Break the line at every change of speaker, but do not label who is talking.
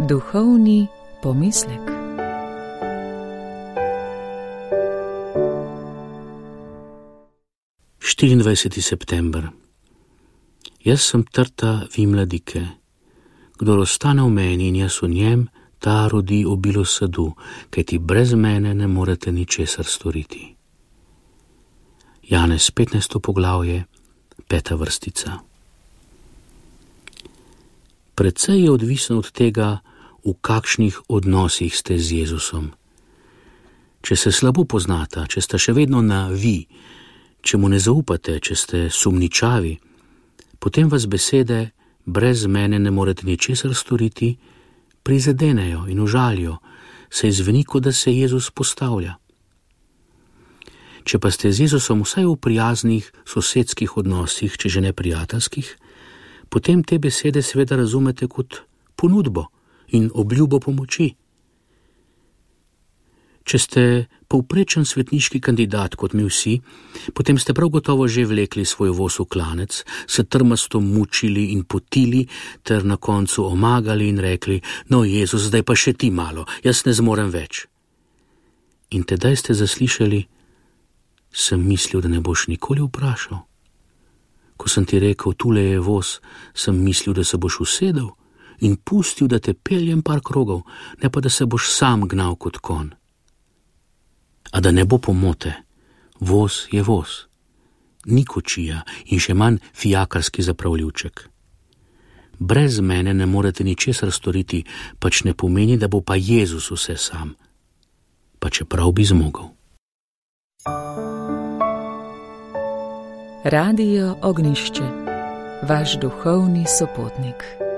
Duhovni pomislek.
September. Jaz sem trta vi mladike. Kdor ostane v meni in jaz v njem, ta rodi obilo sadu, kajti brez mene ne morete ničesar storiti. Janez 15. poglavje, 5. vrstica. Precej je odvisno od tega, v kakšnih odnosih ste z Jezusom. Če se slabo poznata, če sta še vedno na vi, če mu ne zaupate, če ste sumničavi, potem vas besede brez mene ne morete ničesar storiti prizadenejo in užalijo, saj zveni, kot da se Jezus postavlja. Če pa ste z Jezusom vsaj v prijaznih sosedskih odnosih, če že ne prijateljskih, potem te besede seveda razumete kot ponudbo in obljubo pomoči. Če ste povprečen svetniški kandidat kot mi vsi, potem ste prav gotovo že vlekli svoj voz v klanec, se trmasto mučili in potili ter na koncu omagali in rekli: no, Jezus, zdaj pa še ti malo, jaz ne zmorem več. In tedaj ste zaslišali: sem mislil, da ne boš nikoli vprašal. Ko sem ti rekel, tule je voz, sem mislil, da se boš usedel in pustil, da te peljem par krogov, ne pa da se boš sam gnal kot konj. A da ne bo pomote, voz je voz, ni kočija in še manj fijakarski zapravljivček. Brez mene ne morete ničesar storiti, pač ne pomeni, da bo pa Jezus vse sam, pa čeprav bi zmogel.
Radio Ognjišče, vaš duhovni sopotnik.